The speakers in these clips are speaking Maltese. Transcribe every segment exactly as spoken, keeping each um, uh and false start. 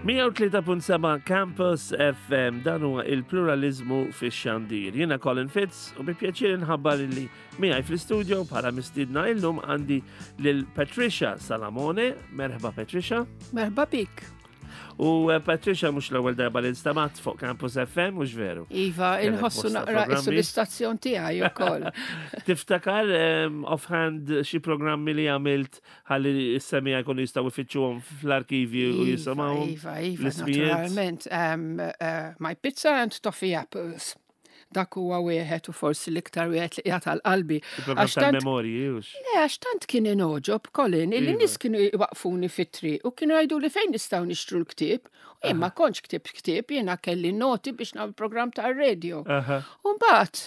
mija u tlieta punt seba' Campus F M, dan huwa il-pluralizmu fix-xandir. Jiena Colin Fitz u bi pjaċir nħabbar li miegħi fl-istudio bħala mistiedna illum għandi lil Patricia Salamone. Merħba, Patricia. Merħba bik. U eh, Patricia mhux l-ewwel darba li nstamat fuq Campus F M, mhux veru? Iva, Kellek inħossu bosta naqra issu programmi. l-istazzjon tiegħi ukoll. Tiftakar um, offhand xi programmi li għamilt ħalli s-semmiegħa jkunu jistgħu jfittxuhom fl-arkivju u Iva, jisimgħuhom? Iva, iva, l-ismijiet? Naturalment. Um, uh, my Pizza and Toffee Apples. Dak huwa wieħed u forsi l-iktar wieħed li qiegħed għal qalbi. Il-programm Għax tant- tal-memorji, hux? Le, għax tant kien inogħġob, Colin, illi Iva. nies kienu jwaqfuni fit-triq u kienu jgħidu li fejn nistgħu nixtru l-ktieb. U jien ma kontx ktibt ktieb, jiena kelli noti biex nagħmel programm tar-radio. Aha. U mbagħad,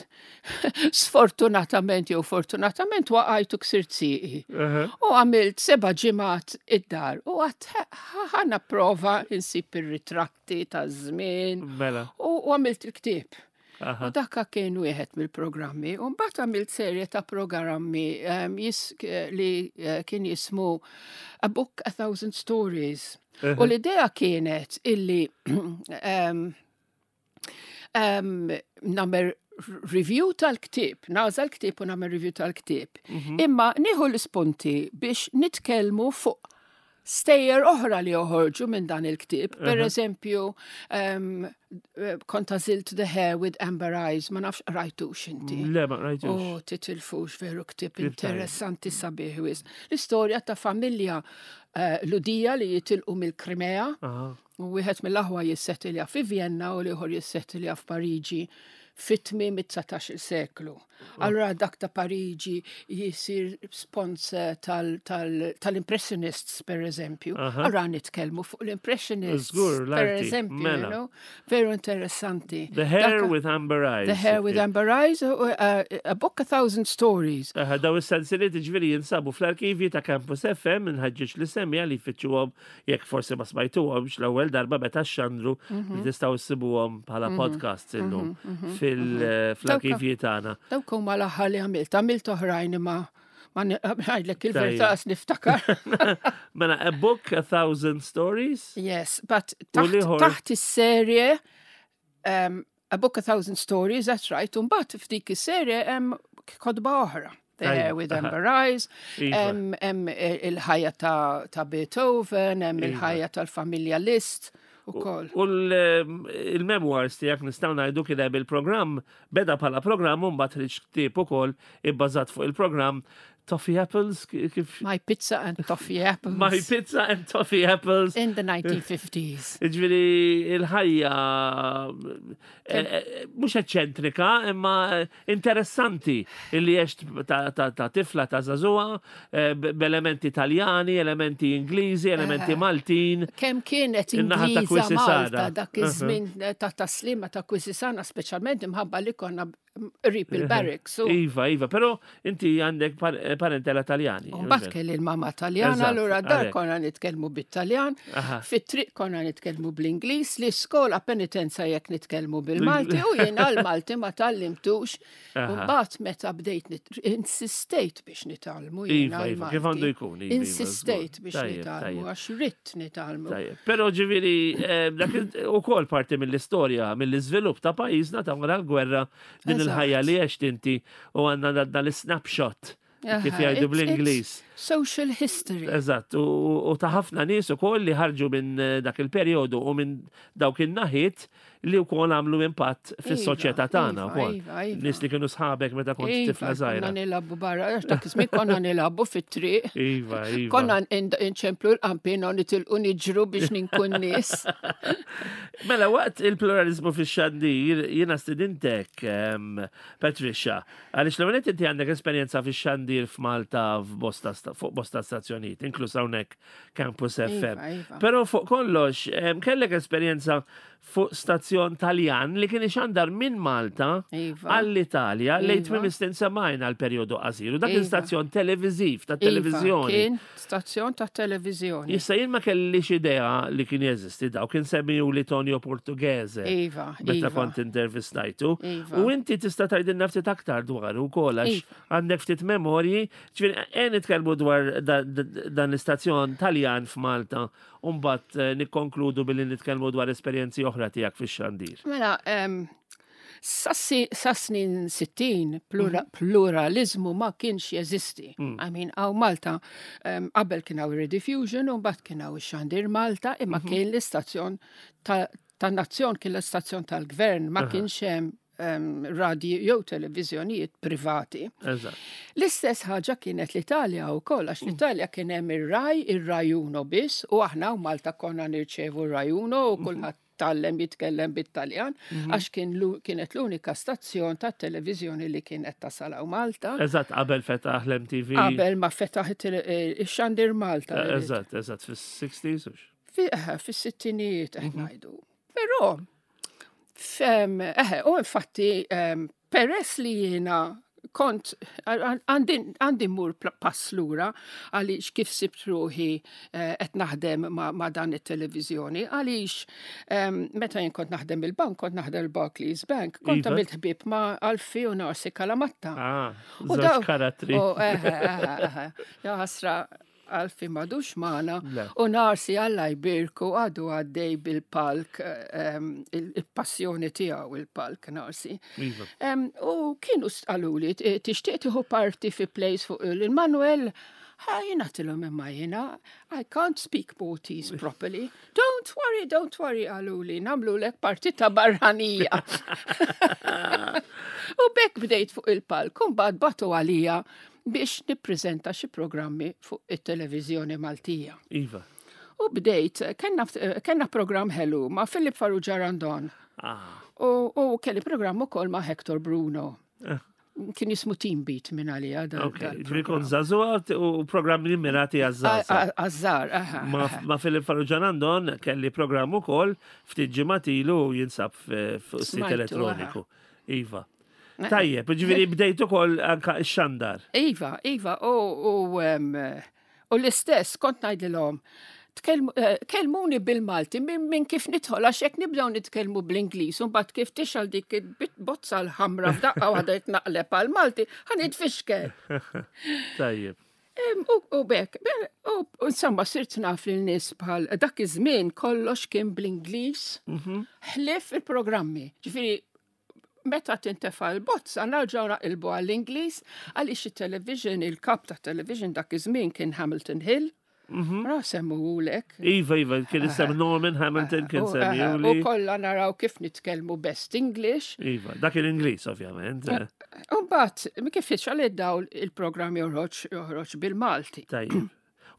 sfortunatament jew fortunatament, waqajt u ksirt sieqi. Aha. U għamilt seba' ġimgħat id-dar u għedt ħa nipprova insib ir-ritratti ta' żmien Mela. u u għamilt il-ktieb. Aha. U dakka kien wieħed mill-programmi. U mbagħad għamilt serje ta' programmi um, jis, li eh, kien jismu A Book, A Thousand Stories. U l-idea kienet illi um, um, nagħmel review tal-ktieb, nagħżel ktieb u nagħmel review tal-ktieb. Imma nieħu l-ispunti biex nitkellmu fuq stejjer oħra li joħorġu minn dan il-ktieb. Per eżempju, um, kont għażilt The Hare with Amber Eyes, ma nafx rajtux inti. Le, ma rajtux. Oh, titilfux, veru ktieb Ktieb tajjeb. interessanti sabiħ wisq. L-istorja ta' familja uh, Lhudija li jitilqu mill-Krimea Aha. u wieħed mill-aħwa jissettilja fi Vienna u l-ieħor jissettilja f'Pariġi fit-tmiem it-dsatax-il seklu. Allora dak ta' Pariġi jisir sponsor tal- tal-Impressionists, per eżempju. Aha. Allora nitkellmu fuq l-Impressionists. Żgur, per l-arti. eżempju, Mela. you know, veru interessanti. The Hare Dak- with Amber Eyes. The Hare with Amber Eyes, uh, uh, a book, a thousand stories. Aha, daw is-sensiliet ġifieri jinsabu fl-arkivji ta' Campus F M, nħeġġeġ lis-semmiegħa li jfittxuhom jekk forsi ma smajtuhomx l-ewwel darba meta xandru, li tistgħu ssibuhom bħala podcasts illum fil- fl-arkivji tagħna. Dawk huma l-aħħar li għamilt. Għamilt oħrajn imma ma ngħidlek il-verità Tajjeb. qas niftakar. Mela, A Book, A Thousand Stories. Yes, but U taħt, l-ieħor- taħt is-serje um, A Book, A Thousand Stories, that's right, u mbagħad f'dik is-serje hemm kotba oħra. The Tajjeb, Hare with aha. Amber Eyes, Iva. hemm hemm il-ħajja ta', ta' Beethoven, hemm Iva. il-ħajja tal-familja Liszt ukoll. U l-memoirs tiegħek nistgħu ngħidu kien hemm il-programm, beda bħala programm u mbagħad ħriġ ktieb ukoll ibbażat fuq il-programm Toffee Apples, kif My Pizza and Toffee Apples. My Pizza and Toffee Apples. In the nineteen fifties. Ġifieri, il-ħajja eh, eh, mhux eċċentrika, imma interessanti illi għext ta' ta' ta' tifla, ta' żagħżugħa, eh, b'elementi Italjani, elementi Ingliżi, elementi Maltin. Kemm kienet In-naħa ta' Ingliża Quisisana. Malta dak iż-żmien ta' Tas-Sliema, ta' Quisisana, speċjalment imħabba li konna qrib il-barracks. u- Iva, iva, però inti għandek par- parentela Taljani. U mbagħad kelli l-mama Taljana, Eżatt, allura dar għalhekk. konna nitkellmu bit-Taljan, Aha. fit-triq konna nitkellmu bl-Ingliż, l-iskola penitenza jekk nitkellmu bil-Malti u jiena l-Malti ma tgħallimtux. U Aha. mbagħad meta bdejt nit- insistejt biex nitgħallmu jiena Iva, iva, kif għandu l-Malti. jkun, iva, iva, Insistejt żgur. biex Tajjeb, nitgħallmu tajjeb. għax ridt nitgħallmu. Tajjeb. Però ġifieri, eh, dak ukoll parti mill-istorja, mill-iżvilupp ta' pajjiżna ta' wara l-gwerra, din Eżatt. il-ħajja li għext inti u għandna dan l-snapshot, kif Aha, jgħidu it's- bl-Ingliż. it's Social history. Eżatt, u u ta' ħafna nies ukoll li ħarġu minn eh, dak il-perjodu u minn dawk in-naħiet li wkoll għamlu impatt fis-soċjetà tagħna Iva, wkoll. iva, iva. Nies li kienu sħabek meta kont Iva, tifla konna żgħira. nilagħbu barra, għax dak iż-żmien konna nilagħbu fit-triq. Iva, iva. Konna nċemplu l-qampina u nitilqu niġru biex ninku n-nies. Mela, waqt il-pluralizmu fix-xandir, jiena stidintek, em, Patricia, għaliex l inti għandek esperjenza fix-xandir f'Malta f'bosta sta- fuq bosta stazzjonijiet, inkluż hawnhekk Campus F M. Iva, iva. Però fuq kollox, em, kellek esperjenza fuq stazzjon Taljan li kien ixandar minn Malta Iva. għall-Italja lejn Iva. tmiem is-snin sebgħin għal perjodu qasir. U dak kien Iva. stazzjon televiżiv, ta' Iva, televiżjoni. Kien stazzjon ta' televiżjoni. Issa jien ma kellix idea li kien jeżisti daw, kien semmiju li Tonio Portughese. Iva, Meta iva. kont intervistajtu. Iva. U inti tista' tgħidilna ftit aktar dwar ukoll għax Iva. għandek ftit memorji, ġifieri qed nitkellmu dwar da- da- dan l-istazzjon Taljan f'Malta, u mbagħad eh, nikkonkludu billi nitkellmu dwar esperjenzi oħra tiegħek fix-xandir. Mela, em, sa si- sa snin sittin plura, pluralizmu ma kienx jeżisti. I mean, hawn Malta, em, qabel kien hawn Rediffusion u mbagħad kien hawn ix-Xandir Malta, imma kien l-istazzjon ta' tan-nazzjon, kien l-istazzjon tal-gvern, ma kienx hemm em, radio jew televiżjonijiet privati. Eżatt. L-istess ħaġa kienet l-Italja u koll, għax l-Italja kien hemm ir-Rai, ir-Rai Uno biss, u aħna u Malta konna nirċevu Rai Uno u kulħadd tgħallem jitkellem bit-Taljan, għax kien lu- kienet l-unika stazzjon ta' televiżjoni li kienet tasal hawn Malta. Eżatt, qabel fetaħ l-M T V. Qabel ma fetaħ it- eh, ix-Xandir Malta. Eh, Eżatt, eżatt, fis-sixties. Hux? Fi- eh, Fis-sittinijiet qed ngħidu. Però, fem, eħe, u infatti, em, peress li jiena kont, għandi għandi mmur pl- pass lura għaliex kif sibt ruħi eh, qed naħdem ma, ma dan it-televiżjoni, għaliex em, meta jien kont naħdem il-bank, kont naħdem il-Barclays Bank, kont Iva. għamilt ħbib ma' Alfi u Narsi Kalamatta. Ah, U żewġ daw- karattri. U, eħe, eħe, eħe. Ja ħasra Alfi m'għadux magħna Le. u Narsi, Alla jbirku, għadu għaddej bil-palk, em, il- il-passjoni tiegħu il-palk Narsi. Iva. Em, U kienu qaluli, "Tixtieq tieħu parti fi plays fuq il-Manuel?" Ha, jiena għedtilhom, "Imma jiena, I can't speak Maltese properly." "Don't worry, don't worry," qaluli, "nagħmlulek parti ta' barranija." U b'hekk bdejt fuq il-palk, u mbagħad bagħtu għalija biex nippreżenta xi programmi fuq it-televiżjoni Maltija. Iva. U bdejt, kellna, kellna program ħelu ma' Philip Farrugia Randon. Ah. U, u kelli program ukoll ma' Hector Bruno. Eh. Kien jismu Team Beat minn għalija. dal- Ok, dal- ġifieri kont żagħżugħa u programmi mirati għaż-żgħażagħ. Għaż-żgħar, aha. Ma, ma Philip Farrugia Randon kelli programm ukoll ftit ġimgħat ilu u jinsab f- fuq sit Smajtu, elettroniku. Iva. Tajjeb, ġifieri bdejt ukoll anka x-xandar. Iva, Iva, u, u, em, u l-istess, kont ngħidilhom, tkellmu- eh, kellmuni bil-Malti minn min kif nidħol, għax jekk nibdew nitkellmu bl-Ingliż, u mbagħad kif tixgħel dik il-bozza l-ħamra f'daqqa waħda jitnaqleb għal-Malti, ħa nitfixkel. Tajjeb. Em, U u b'hekk, be- u u insomma, sirt naf lil nies bħal dak iż-żmien kollox kien bl-Ingliż, ħlief il-programmi. Ġifieri, meta tintefa l-bozza, nerġgħu naqilbu għall-Ingliż, għaliex il-television, il-kap ta' television dak iż-żmien kien Hamilton Hill. Ra semmewhulek. Iva, Iva, kien isem Norman Hamilton kien U, eh, semmewli. U kollha naraw kif nitkellmu best English. Iva, dak il-Ingliż, ovvjament. eh. U mbagħad kif jixgħel id-dawl il-programm joħroġ joħroġ bil-Malti. Tajjeb.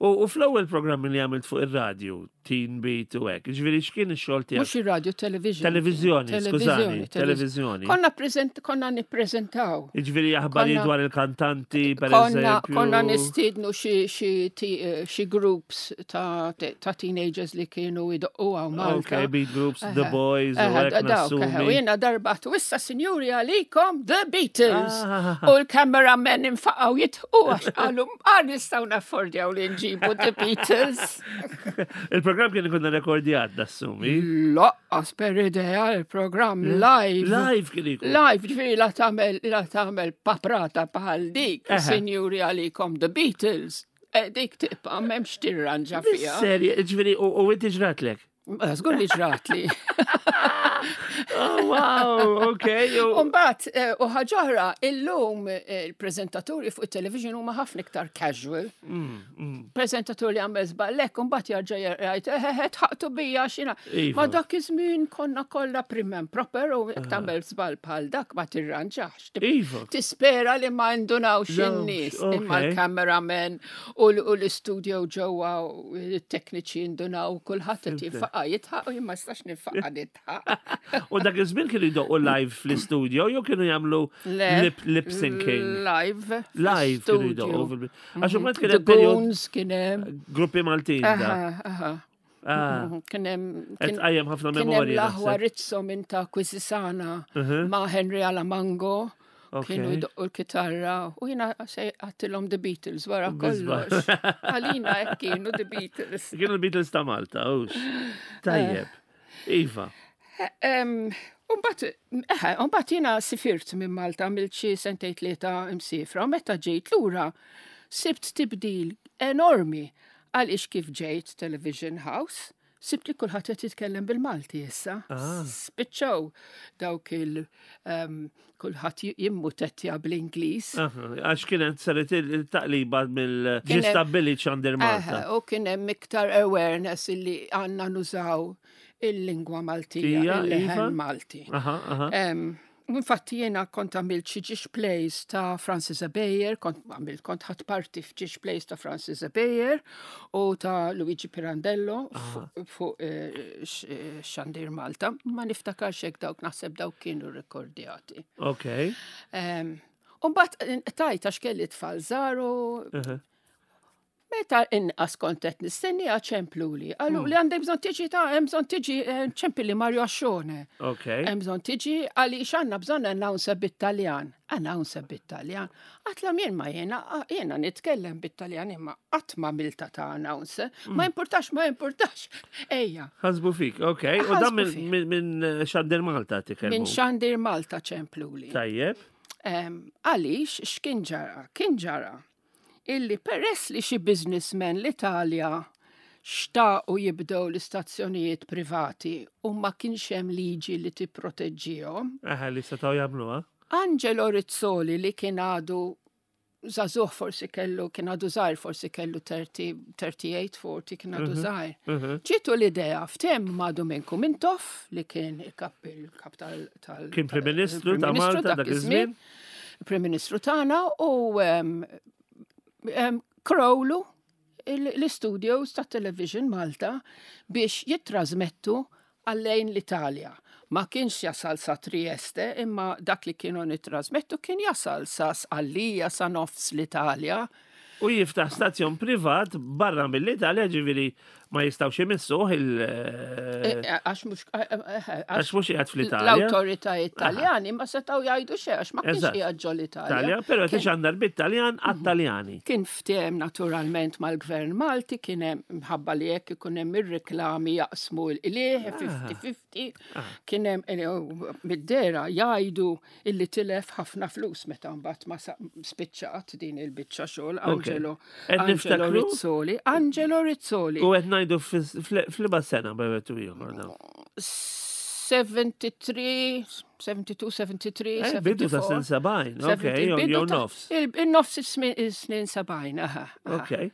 U u fl-ewwel programmi li għamilt fuq ir-radju, Teen Beat u hekk, ġifieri x'kien ix-xogħol tiegħek? Mhux ir-radio, television. Televizjoni, skużani, televiżjoni. Konna prezent, konna nippreżentaw. Ġifieri aħbarijiet Konna- dwar il-kantanti, per Konna, eżempju. konna nistiednu xi xi ti- eh, xi groups ta' ta' teenagers li kienu idoqqu hawn Malta. Ok, beat groups, The Boys, u Eħe, hekk dawk, eħe, u nassumi. jiena darba u "Issa, sinjuri, għalikom The Beatles." Ah. U l-cameramen infaqgħu jidħku għax qalu, "Għar nistgħu naffordjaw li nġibu The Beatles." Il-programm kien ikun rekordjat, nassumi. Lanqas per idea, il-programm live. Live kien ikun. Live, ġifieri la tagħmel la tagħmel paprata bħal dik, Eħe. "Sinjuri, għalikom The Beatles." Eh, Dik tibqa' m'hemmx tirranġa fiha. Serja, ġifieri, u u inti ġratlek? Żgur li ġratli. Oh, wow, ok. u- Umbagħad, eh, u ħaġa oħra, illum eh, il-preżentaturi fuq il-television huma ħafna iktar casual. Mm, Preżentatur li għamel żball hekk, umbagħad jarġa' jgħid, "Eħe, dħaqtu bija xina." Iva. Ma dak iż-żmien konna kollha prim and proper u jekk tagħmel żball bħal dak ma tirranġax. Iva. Tispera li ma ndunawx No, in-nies, ok. imma l-cameraman u l- u l-istudio ġewwa u l-tekniċi ndunaw, kulħadd qed jinfaqa' jidħaq u jien ma nistax ninfaqa' nidħaq. U dak iż-żmien kienu jdoqqu live fl-istudio jew kienu jagħmlu Le. lip, lip syncing? Live. Live kienu fl-studio. jdoqqu. fil- Għax imbagħad kien The hemm perjodu Goons kien hemm. gruppi Maltin da. Aha, aha. Ah, Kien hemm qed tqajjem ħafna kien hemm memorji. l-aħwa naħseb. Rizzo minn ta' Quisisana Mhm. ma' Henry Alamango. Ok. Kienu jdoqqu l-kitarra u jiena se għedtilhom "The Beatles" wara Bizba. kollox. Għalina hekk kienu The Beatles. Kienu l-Beatles ta' Malta, hux. Tajjeb. Iva. Umbagħad, eħe, umbagħad jiena sifirt minn Malta, għamilt xi sentejn tlieta imsifra, u meta ġejt lura, Sibt tibdil enormi għaliex kif ġejt Television House, sibt li kulħadd qed jitkellem bil-Malti issa. Ah. Spiċċaw dawk il um, kulħadd jimmutettja bl-Ingliż. Aha, għax kienet saret il-taqliba mill Kien hemm- ġie stabbilit Xandir Malta. Eħe, u kien hemm iktar awareness illi għandna nużaw il-lingwa Maltija, Tija, il-leħen iva. Malti. Aha, aha. Em, Infatti jiena kont għamilt xi żewġ plays ta' Francis Ebejer, kont għamilt kont ħadt parti f'żewġ plays ta' Francis Ebejer u ta' Luigi Pirandello fuq fu, eh, x- eh, Xandir Malta. Ma niftakarx hekk dawk naħseb dawk kienu rekordjati. Ok. Um, U mbagħad tajt għax kelli tfal żgħar u Aha. meta inqas kont qed nistenni ċempluli. Qalu li għandek bżonn tiġi ta' hemm bżonn tiġi eh, ċempilli Mario Ascione. Ok. Hemm bżonn tiġi għaliex għandna bżonn announcer bit-Taljan. Announcer bit-Taljan. Għedtilhom jien ma jiena jiena nitkellem bit-Taljan imma qatt ma għamiltha ta' announcer. Ma importax, ma importax. Ejja, Ħasbu fik, ok. U dan Ħasbu minn- fik. minn minn Xandir Malta titkellmu. minn Xandir Malta ċempluli. Tajjeb. Em, Għaliex x'kien ġara? Kien ġara illi peress li xi businessmen l-Italja xtaqu jibdew l-istazzjonijiet privati u ma kienx hemm liġi li tipproteġġihom, Aha, li setgħu jagħmluha. Angelo Rizzoli li kien għadu żagħżugħ forsi kellu, kien għadu żgħir forsi kellu thirty, thirty-eight, forty, kien għadu żgħir. Mhm. Ġietu l-idea fthem ma' Duminku Mintoff li kien il-kap il-kap tal- tal- Kien Prim Ministru ta' il-Prim Ministru Malta dak iż-żmien. Prim Ministru tagħna u em, em, krewlu il- l-studios ta' Television Malta biex jittrasmettu għal-lejn l-Italja. Ma kienx jasal sa Trieste, imma dak li kienu nittrasmettu kien jasal sa Sqallija, sa nofs l-Italja. U jiftaħ stazzjon privat barra mill-Italja, ġifieri ma jistgħux imissuh il- Eh, Għax mhux Għax għax mhux qiegħed fl-Italja. l-awtoritajiet Taljani ma setgħu jgħidu xejn għax ma kienx Eżatt. qiegħed ġol Italja. Italja, però Kien- tixandar bit-Taljan għat-Taljani. Kien ftehim naturalment mal-gvern Malti, kien hemm mħabba li jekk ikun hemm ir-reklami jaqsmu l-qligħ fifty fifty, kien hemm eh, mid-dehra jgħidu illi tilef ħafna flus meta mbagħad ma sa- spiċċat din il-biċċa xogħol Angelo Qed Angelo niftakru? Rizzoli. Angelo Rizzoli. U qed ngħidu f'liema sena bejwet u ieħor dawn. seventy-three, seventy-two, seventy-three, Eh, bidu ta' snin seventy-four. sebgħin, ok, jew Bidu jew ta' nofs. il- Il-nofs is-snin sebgħin, aha. aha. Ok.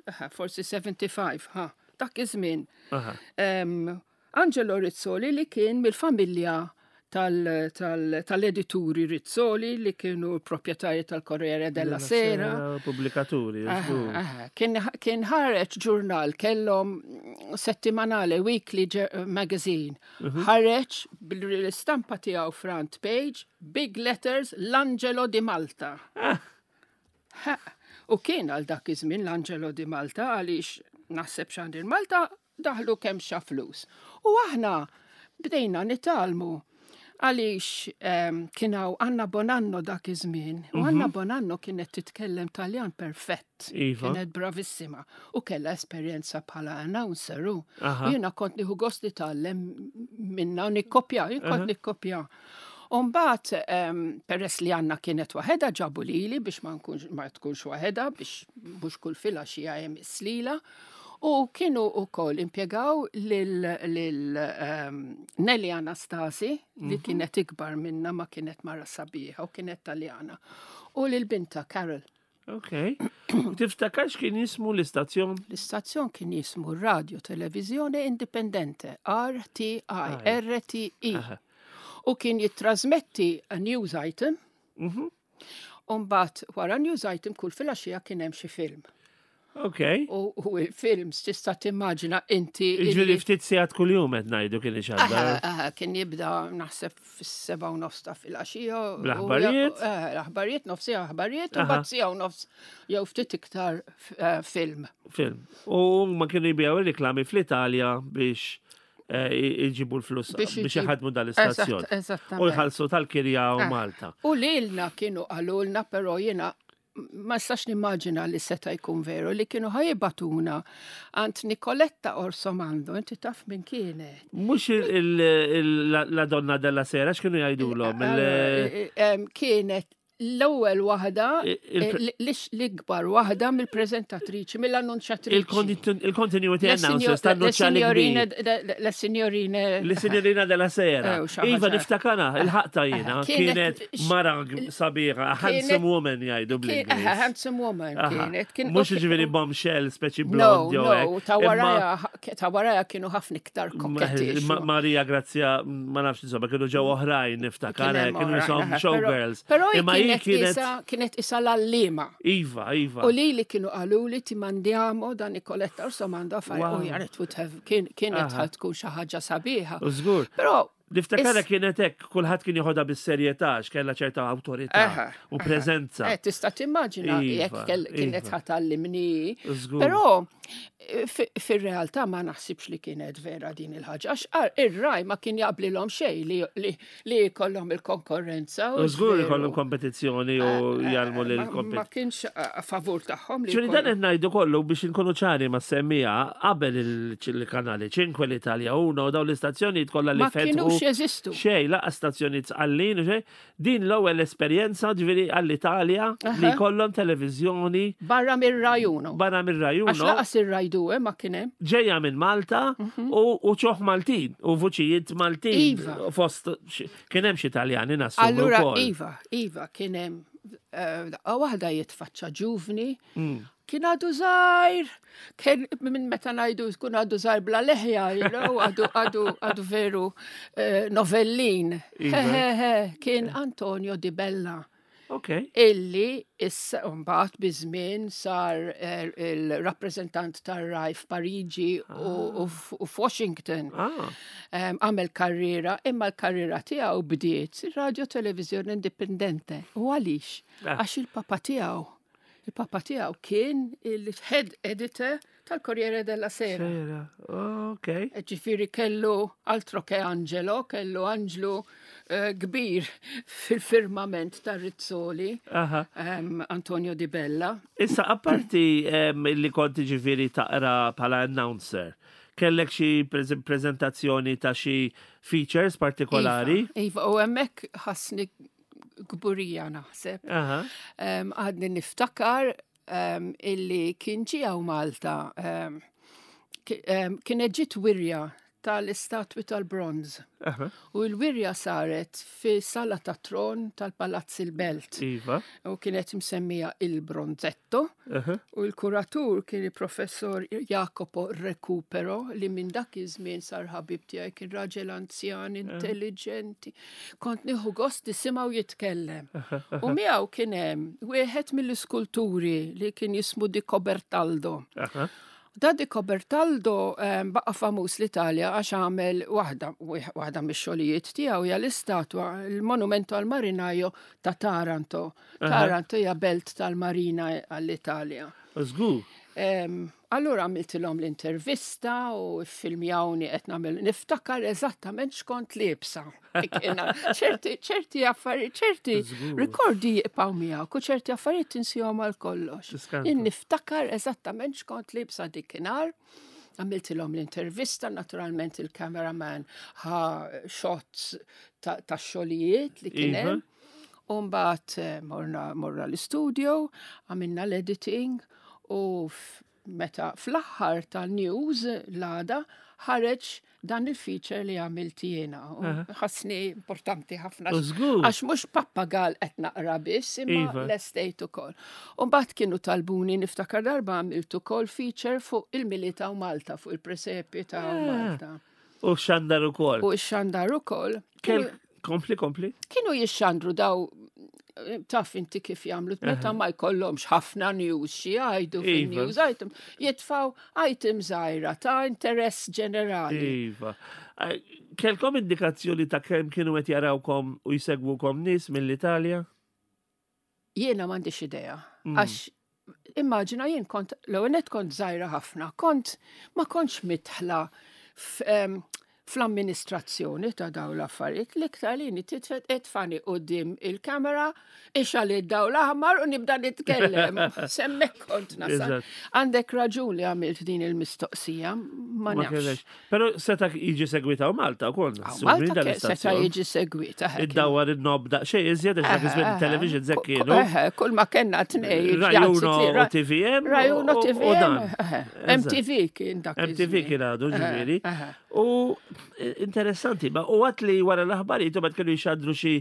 Aha, forsi seventy-five, ha, dak iż-żmien. Aha. Em, Angelo Rizzoli li kien mill-familja tal- tal- tal-edituri Rizzoli li kienu proprjetarji tal-Corriere della Sera. Pubblikaturi, Aha, żgur. aha. Kien, kien ħareġ ġurnal, kellhom settimanale, weekly ġe- magazine. Ħareġ bil-istampa tiegħu front page, big letters, L'Angelo di Malta. Ha, u kien għal dak iż-żmien l-Angelo di Malta għaliex naħseb Xandir Malta daħlu kemm xa flus. U aħna bdejna nitgħallmu għaliex um, kien hawn Anna Bonanno dak iż-żmien. U Anna Bonanno kienet titkellem Taljan perfett. Iva. Kienet bravissima u kellha esperjenza bħala announcer u. Aha. U jiena kont nieħu gost nitgħallem minna u nikkopja, jien kont nikkopja. Umbagħad, um, peress li Anna kienet waħedha, ġabu lili biex ma, nkunx, ma tkunx waħedha, biex mhux kull filgħaxija hemm is-slila. U kienu ukoll impjegaw lil, lil um, Nelly Anastasi, li kienet ikbar minna ma kienet mara sabiħa u kienet Taljana. U lil binta Carol. Ok. U tiftakarx kien jismu l-istazzjon? L-istazzjon kien jismu Radio Televisione Indipendente, R T I, R T I. Aha. U kien jittrasmetti a news item, Mhm. u mbagħad wara news item kull filgħaxija kien hemm xi film. Ok. U, u il-films tista' timmaġina inti. Ġifieri illi- ftit sigħat kuljum qed ngħidu kien Aha, ixandar. aha, kien jibda naħseb fis-seba' u nofs ta' filgħaxija. u- Bl-aħbarijiet? Eh, L-aħbarijiet, nofs siegħa aħbarijiet, u Aha. mbagħad siegħa u nofs jew ftit iktar eh, film. Film. U ma kienu jbigħu reklami fl-Italja biex eh, iġibu l-flus Biex biex iġib- iħadmu dal-istazzjon. Eżatt, eżattament. U jħallsu tal-kirja u Ah. Malta. U lilna kienu qalulna, però jiena ma nistax nimmaġina li seta' jkun veru, li kienu ħa jibagħtuna għand Nicoletta Orsomando, inti taf min kienet? Mhux la donna della sera, x'kienu jgħidulhom? Eh, eh, em, Kienet L-ewwel waħda, Il- l-ikbar waħda mill-preżentatriċi, mill-annunċjatriċi. Il-continuity announcers tan-nuċċali kbir. La signorina. La signorina della sera. Eh, u xi ħaġa. Iva, niftakarha, il-ħaqta jiena, Kienet- kienet mara sabiħa, handsome woman jgħidu Kien- bl-Ingliż. Handsome woman Aha. kienet. Kien- Mhux ġifieri bombshell, speċi No, blond jew no, hekk. ta' Imma- warajha, ta' warajha kienu ħafna iktar kokketti. Ma- Maria Grazia, ma nafx insomma, kienu ġew oħrajn niftakar, Kien hemm kienu oħrajn, jisom aha, showgirls. Però Imma hi kienet kienet isa kienet isa l-għalliema. Iva, Iva. U li li kienu qalu li ti mandiamo da Nicoletta Orsomando fare, Wow. u jaret would have, kien- kienet Aha. ħa tkun xi ħaġa sabiħa. U żgur. Però Niftakarha Is- kienet hekk, kulħadd kien joħodha bis-serjetà, għax kellha ċerta awtorità Aha, u preżenza. Eh, tista' timmaġina Iva, jekk kell- kienet iva. ħa tgħallimni. Żgur. Però eh, fi- fir-realtà ma naħsibx li kienet vera din il-ħaġa. Għax ar- ir-Rai ma kien jaqblilhom xejn li li li jkollhom il-konkurrenza. U żgur veru. ikollhom kompetizzjoni u jgħallmu lil Ma- Ma kompetizzjoni. kienx a favur tagħhom li ċuni dan jkollhom- qed ngħidu kollu biex inkunu ċari ma' semmija qabel il-kanali ċinque, l-Italja uno u dawn l-istazzjonijiet kollha li ma fetħu. kienux jeżistu. Xej, laqas stazzjonijiet sqallin u xej. Din l-ewwel esperjenza ġifieri għall-Italja li Aha. jkollhom televiżjoni Barra mir-Rai Uno. barra mir-Rai Għax Uno lanqas ir-Rai Due ma kien hemm. ġejja minn Malta u u ċoħ Maltin u vuċijiet Maltin. Iva. Fost kien hemm xi Taljani nassumu Allura, wkoll. Iva, Iva, kien hemm eh, daqqa waħda jitfaċċa ġuvni, Mm. kien għadu żgħir, kien minn meta ngħidu tkun għadu żgħir bla leħja, you know, għadu għadu għadu veru eh, novellin. Iva. He, he, he, kien Antonio Di Bella. Ok. Illi issa mbagħad biż-żmien sar eh, il-rappreżentant tar-Rai f'Pariġi u u f- u f'Washington. Ah, Em, Għamel karriera, imma l-karriera tiegħu bdiet Radio Televisione Indipendente. U għaliex? Ah. Għax il-papa tiegħu, il-papa tiegħu kien il-head editor tal-Corriere della Sera. sera. Ok. Ġifieri kellu altro che Angelo, kellu Angelo eh, kbir fil-firmament ta' Rizzoli, Aha. em, Antonio Di Bella. Issa, apparti em, li konti ġifieri taqra bħala announcer, kellek xi prez- prezentazzjoni ta' xi features partikolari? Iva, Iva, u hemmhekk ħassni kburija naħseb. Aha. Em, Għadni niftakar em, illi kien ġie hawn Malta, em, ki- em, kienet ġiet wirja tal-istatwi tal-bronz. Aha. U l-wirja saret fi sala ta' tron tal-Palazz il-Belt. Iva. U kienet msemmija il-Bronzetto. Aha. U l-kuratur kien il-professor Jacopo Recupero li minn dak iż-żmien sar ħabib tiegħi, kien raġel anzjan, intelligenti. Kont nieħu gost nisimgħu jitkellem. U miegħu kien hemm wieħed mill-iskulturi li kien jismu Di Cobertaldo. Aha. Da Di Cobertaldo um, baqa famuż l-Italja għax għamel waħda, waħda mix-xogħlijiet tiegħu hija l-istatwa, il-monumento al marinaio ta' Taranto. Taranto hija belt tal-marina għall-Italja. Żgur. Um, allura għamiltilhom l-intervista u filmjawni qed nagħmel niftakar eżattament x'kont liebsa. Kiena ċerti ċerti affarijiet, ċerti Żgur. rikordi jibqgħu miegħek u ċerti affarijiet tinsihom għal kollox. Tiskanta. Jien niftakar eżattament x'kont liebsa dikinhar. Għamiltilhom l-intervista, naturalment il-cameraman ħa shots ta' ta' xogħlijiet li kien Iva. hemm. U mbagħad eh, morna, morna l-studio, għamilna l-editing u f- meta fl-aħħar tal-news l-għada ħareġ dan il-feature li għamilt jiena. U ħassni importanti ħafna. U żgur. Għax mhux pappagal qed naqra biss, imma Iva. l-estate ukoll. U mbagħad kienu talbuni niftakar darba għamilt ukoll feature fuq il-Milied ta' Malta, fuq il-presepi ta' Ah. Malta. U xandar ukoll. U x-xandar ukoll. Kell, kompli, kompli. Kienu jixxandru daw, taf inti kif jagħmlu meta ma jkollhomx ħafna news xi jgħidu Iva. fin-news item, jitfaw item żgħira ta' interess ġenerali. Iva. Eh, Kellkom indikazzjoni ta' kemm kienu qed jarawkom u jsegwukom nies mill-Italja? Jiena m'għandix idea. Mm. Għax immaġina jien kont l-ewwel nett kont żgħira ħafna, kont ma kontx midħla f- em, Fl-amministrazzjoni ta' daw l-affarijiet, l-iktar li titfagħni quddiem il-kamera, ixgħel id-dawl aħmar u nibda nitkellem. S'hemmhekk kont nasal. Eżatt. Għandek raġun li għamilt din il-mistoqsija, ma Ma nafx. kellekx. Pero seta jiġi segwita u Malta wkoll. Għaw, nassumi Malta dan ke- seta l-istazzjon. jiġi segwita. hekk. Id-dawar in-knob daqsxejn iżjed għax dak iż-żmien television Eħe, kienu. Eħe, kull ma kellna tnejn. Rai Uno u T V M. Rai Uno u- u T V M. dan. Eħe, Eżatt. M T V kien dak M T V iż-żmien. kien għadu ġifieri. Eħe. U interessanti, ma u għat li wara l-aħbarijiet u kienu jxandru xi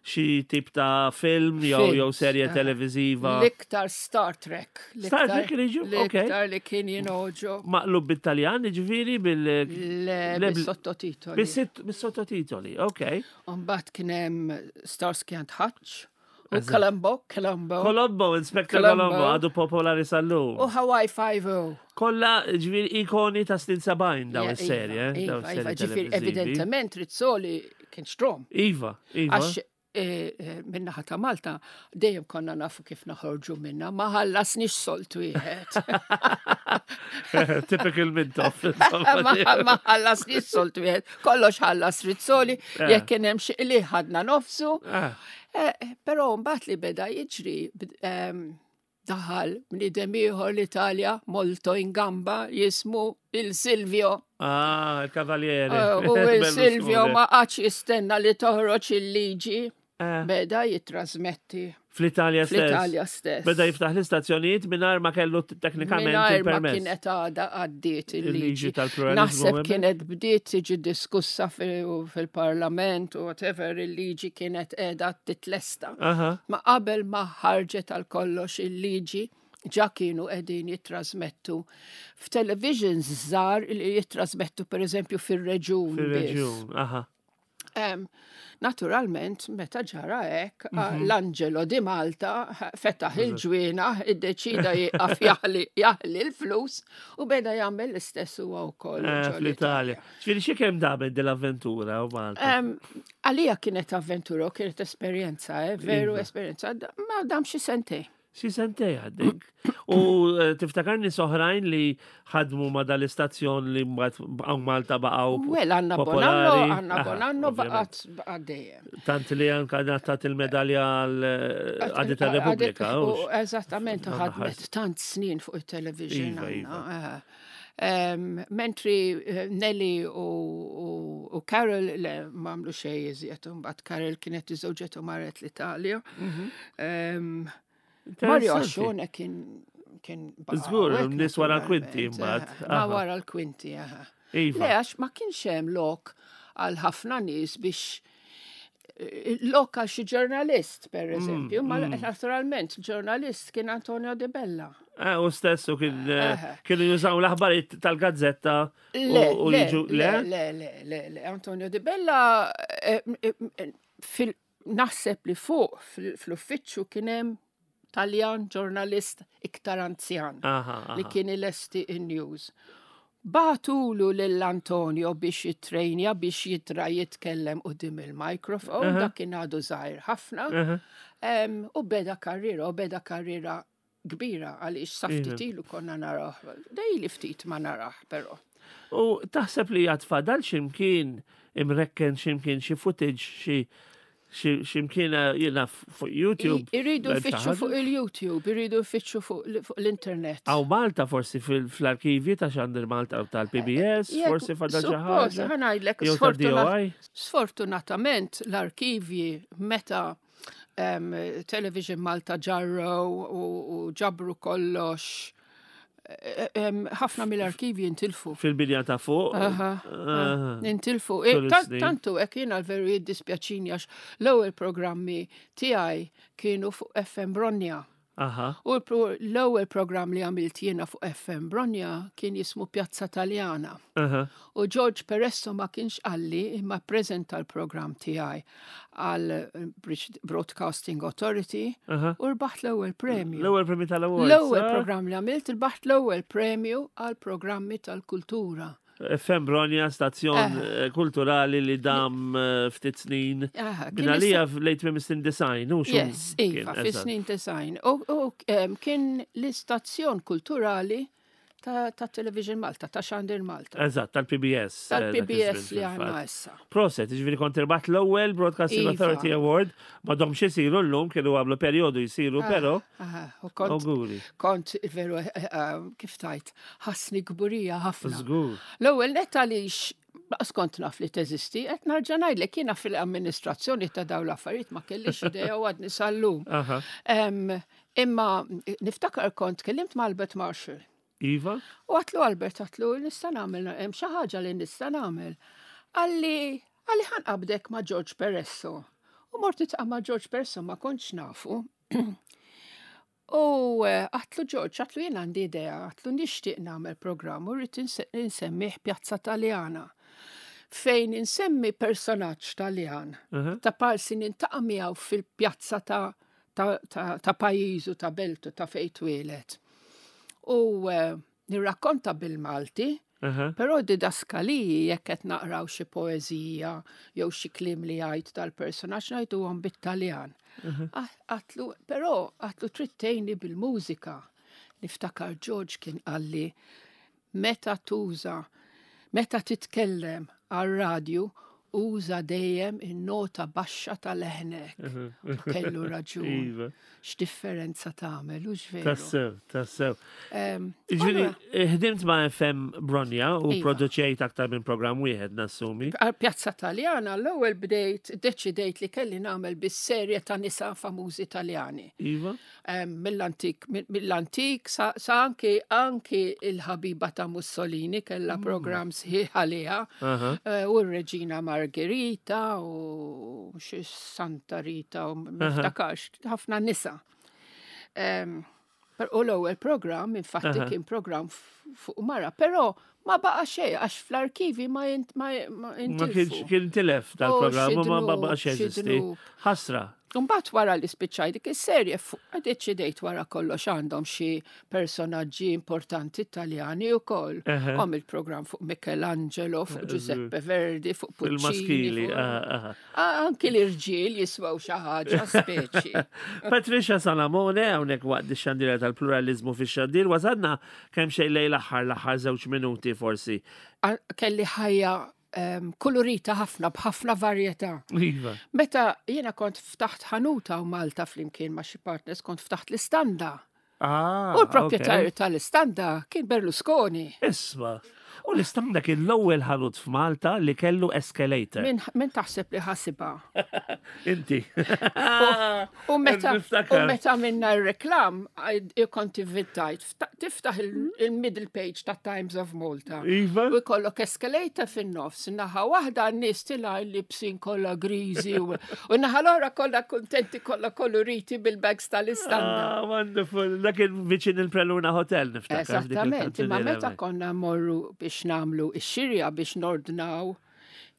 xi tip ta' film jew jew Films, serje eħe. televiziva. L-iktar Star Trek. Star L-iktar- Trek kien jiġu? Ok. L-iktar li kien jinoġo. Maqlub bit-Taljan, ġifieri bil Le, Le, bil- bil-sottotitoli. bis-sitt- bis-sottotitoli, ok. Mbagħad kien hemm Starsky and Hutch u Columbo, Columbo. Colombo, Inspector Columbo. Colombo, għadu popolari sal-lum. U Hawaii Five-O. Kolla ġifieri ikoni ta' snin sebgħin daw Ja, is-serje, Iva, daw Iva, is-serje iva, ġifieri televizivi. evidentement Rizzoli kien xtrahom. Iva, iva. Għax eh, eh, min-naħa ta' Malta dejjem konna nafu kif naħorġu minna, ma ħallasniex sold wieħed. Typical Mintoff. Ma ma ħallasniex sold wieħed. Kollox ħallas Rizzoli, Eh. jekk kien hemm xi li ħadna nofsu. Ah, Eh, Però mbagħad li beda jiġri bd- em, daħal bniedem ieħor l-Italja molto in gamba jismu il-Silvio. Ah, il-Cavaliere. Eh, U il-Silvio Berlusconi. ma qagħadx jistenna li toħroġ il-liġi. Eh, Beda jitrasmetti Fl-Italja stess. fl-Italja stess. Beda jiftaħ l-istazzjonijiet mingħajr ma kellu teknikament Mingħajr ma il-permess. kienet għada għaddiet Il-liġi il-liġi. tal-pluralizmu. Naħseb hemmhekk. kienet bdiet tiġi diskussa fil- fil-parlament u whatever, il-liġi kienet qiegħda titlesta. Aha. Ma qabel ma ħarġet għal kollox il-liġi, ġa kienu qegħdin jittrasmettu f'televisions żgħar li jittrasmettu per eżempju fir-reġun. biss. Fil-reġjun, aha. Em, naturalment, meta ġara hekk, Mhm. l-Angelo di Malta fetaħ il-ġwienaħ, iddeċida jieqaf jaħli jaħli l-flus u beda jagħmel l-istess huwa wkoll Eh, ġol Fl-Italja. Ġifieri xi kemm damet dil-avventura u Malta? Em, Għalija kienet avventura u kienet esperjenza, eh, veru Iva. esperjenza, Da- ma dam xi sentej. Xi sentej għaddek. U eh, tiftakarni oħrajn li ħadmu ma dal-istazzjon li mbagħad baqgħu Malta baqgħu Well, Anna popolari. Bonanno, Anna Aha, Bonanno ovvjament. baqgħet baqgħet dejjem. Tant li anka ngħatat il-medalja għal tar-Repubblika. U hux? eżattament, Għandha ħadmet ħars. tant snin fuq il-television. Iva, Anna, iva. eh. Em, Mentri eh, Nelly u, u, u Carol le m'għamlu xejn iżjed, mbagħad Carol kienet iżżewġet u marret l-Italja. Em, Mario Interessanti. Ascione kien kien baqa' Żgur, hawnhekk, nies wara l-kwinti naturalment, mbagħad. eh, Ma Aha. wara l-kwinti, aha. Iva. Le, għax ma kienx hemm lok għal ħafna nies biex eh, lok għal xi ġurnalist, per Mm, eżempju, ma naturalment ġurnalist kien Antonio De Bella. Eh, u stessu kien eh, Aha. kienu jużaw l-aħbarijiet tal-gazzetta Le, u le, jiġu le, le? le, le, le, le, Antonio De Bella eh, eh, eh, fil naħseb li fuq fil- fl-uffiċċju kien hemm Taljan ġurnalist iktar anzjan Aha, li aha. kien ilesti in-news. Bagħtulu lil Antonio biex jitrejnja, biex jitra jitkellem quddiem il-mikrofon, Aha. dak kien għadu żgħir ħafna. Aha. Em, U beda karriera, u beda karriera kbira għaliex sa Iva. ftit ilu konna narah. Dejli ftit ma narah, però. U taħseb li għad fadal ximkien imrekken ximkien xi footage xi xi- ximkien eh, jiena fuq YouTube? I- Iridu bel xi jfittxu ħaġa? fuq il-YouTube, iridu jfittxu fuq l- fuq l-internet. Aw Malta forsi fil- fl-arkivji ta' Xandir Malta u tal-P B S, Jekk- forsi fadal xi Suppost, ħaġa. ħa ngħidlek, Jew sfortuna- tal-D O I. Sfortunatament l-arkivji meta um, Television Malta ġarru u, u ġabru kollox, eh, em, ħafna mill-arkivji intilfu. Fil-binja ta' fuq. Aha, Aha. Intilfu. Tul E, tan- is-snin. Tantu hekk jiena l-veru jiddispjaċini għax l-ewwel programmi tiegħi kienu fuq F M Bronja. Aha. U l-pro- l-ewwel programm li għamilt jiena fuq F M Bronja kien jismu Pjazza Taljana. Aha. U George Peresso ma kienx qalli imma prezenta l-programm tiegħi għal eh, British Broadcasting Authority Aha. u rbaħt l-ewwel premju. L-ewwel premju tal-awards. L-ewwel ah? programm li għamilt, rbaħt l-ewwel premju għal programmi tal-kultura. F M Bronja, stazzjon eh, kulturali li dam eh, ftit snin. Aha, kien Min għalija lejt minn snin disgħin, u xu? Yes, iva, fi snin disgħin. U, u em, kien l-istazzjon kulturali ta' ta' Television Malta, ta' Xandir Malta. Eżatt, tal-P B S eh, dak Tal-P B S iż-żmien li għandna fil-fatt. issa. Proset, ġifieri kont irbaħt l-ewwel Broadcasting Iva. Authority Award, m'għadhomx isiru llum, kienu għamlu perjodu jisiru, Ah, pero ah, u kont, auguri. Kont veru, eh, eh, kif tajt, ħassni kburija ħafna. Żgur. L-ewwel net għaliex lanqas kont naf li teżisti, qed narġa' ngħidlek, jiena fil-amministrazzjoni ta' dawn l-affarijiet ma kellix idea u għadni sal-lum. Aha. Em, Imma niftakar kont kellimt ma' Albert Marshall. Iva? U għedtlu, "Albert," għedtlu, "nista' nagħmel, hemm xi ħaġa li nista' nagħmel." Qalli, qalli "ħa nqabbdek ma' George Peresso." U mort niltaqa' ma' George Peresso, ma kontx nafu. U eh, għedtlu, "George," għedtlu, "jien għandi idea," għedtlu, "nixtieq nagħmel programm u rrid insemmih Pjazza Taljana. Fejn insemmi personaġġ Taljan Aha. ta' parsi niltaqa' miegħu fil-pjazza ta' ta', ta, ta' pajjiżu, ta' beltu, ta' fejn twieled. U eh, nirrakkonta bil-Malti, Aha. però didaskaliji, jekk qed naqraw xi poeżija jew xi kliem li jgħid tal-personaġġ, ngħiduhom bit-Taljan." Ah, għedtlu, però għedtlu, "trid tgħinni bil-mużika." Niftakar George kien qalli, "Meta tuża, meta titkellem għal-radju, uża dejjem in-nota baxxa tal-leħnek." U kellu raġun. Iva. X'differenza tagħmel, u veru. Tassew, tassew. Em, Ġifieri, allura, ħdimt ma' F M Bronja u Iva. produċejt aktar minn program wieħed, nassumi. Għal Pjazza Taljana l-ewwel bdejt deċidejt li kelli nagħmel bis-serje ta' nisa famużi Taljani. Iva? Em, Mill-antik, mill-antik sa, sa anki anki il-ħabiba ta' Mussolini kellha program sħiħ għaliha. Aha. Eh, U r-Reġina Margherita u xi Santa Rita u ma niftakarx, ħafna nisa. Em, per- U l-ewwel program infatti Aha. kien program f- fuq mara, però ma baqa xejn għax fl-arkivi ma jint- ma ma Ma intilfu. kienx kien tilef dal-programm u ma Oh, xi ma baqax dnub, xi jeżisti. dnub. Ħasra. Mbagħad wara li spiċċaj dik is-serje fuq deċidejt wara kollox għandhom xi personaġġi importanti Italjani wkoll. Eħe. Għom il-programm fuq Michelangelo, fuq Giuseppe Verdi, fuq Puccini. Il-maskili. fuq- aha, aha. Ah, anki l-irġiel jiswew xi ħaġa speċi. Patricia Salamone, hawnhekk waqt ix-xandira tal-pluralizmu fix-xandir, wasalna kemm xejn lejn l-aħħar l-aħħar żewġ minuti forsi. Ah, kelli ħajja em, kolorita ħafna, b'ħafna varjetà. Iva. Meta jiena kont ftaħt ħanuta u Malta flimkien ma' xi partners, kont ftaħt l-istanda. Ah, U l-proprjetarju ok. tal-istanda kien Berlusconi. Isma. U l-istanda kien l-ewwel ħanut f'Malta li kellu escalator. Min, min taħseb li ħasibha? Inti. U meta, u Niftakar. meta minna r-reklam, kont ivvintajt, tiftaħ il- il-middle page ta' Times of Malta. Iva. U jkollok escalator fin-nofs, naħa waħda n-nies tilgħin libsin kollha griżi u u naħa l-oħra kollha kuntenti, kollha koloriti bil-bags tal-istanda. Ah, wonderful. Dak kien viċin il-Preluna Hotel, niftakar, dik Eżattament, imma il-kantuniera meta hemmhekk. konna morru biex nagħmlu ix-xirja, biex nordnaw,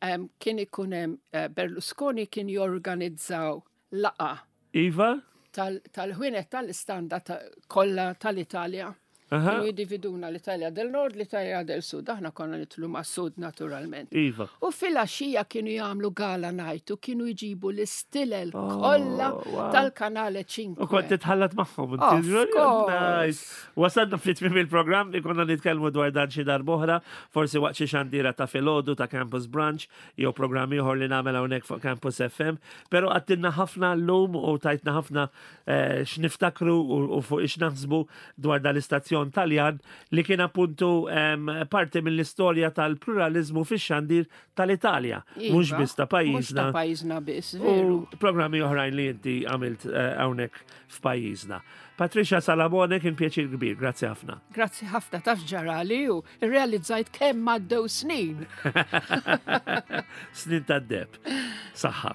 em, kien ikun hemm eh, Berlusconi kien jorganizzaw laqgħa Iva? tal- tal-ħwienet tal-istanda ta- kollha tal-Italja. Aha. Kienu jiddividuna l-Italja del Nord, l-Italja del Sud. Aħna konna nidħlu ma' Sud naturalment. Iva. U fil-għaxija kienu jagħmlu gala night u kienu jġibu l-istilel kollha Oh, wow. tal-Kanale cinque. U kont titħallat magħhom. Of inti. course. Nice. Wasalna fit-tmiem il-programm, ikonna nitkellmu dwar dan xi darb'oħra, forsi waqt xi xandira ta' filgħodu ta' Campus Branch, jew programm ieħor li nagħmel hawnhekk fuq Campus F M. Però għedtilna ħafna llum u tajtna ħafna eh, x'niftakru u u fuq x'naħsbu dwar dal-istazzjon Taljan li kien appuntu em, parti mill-istorja tal-pluralizmu fix-xandir tal-Italja, mhux Iva, biss ta' mhux pajjiżna. ta' pajjiżna biss, veru. U programmi oħrajn li inti għamilt eh, hawnhekk f'pajjiżna. Patricia Salamone, kien pjaċir kbir, grazzi ħafna. Grazzi ħafna, taf ġarali u realizzajt kemm għaddew snin. Snin tad-deheb. Saħħa.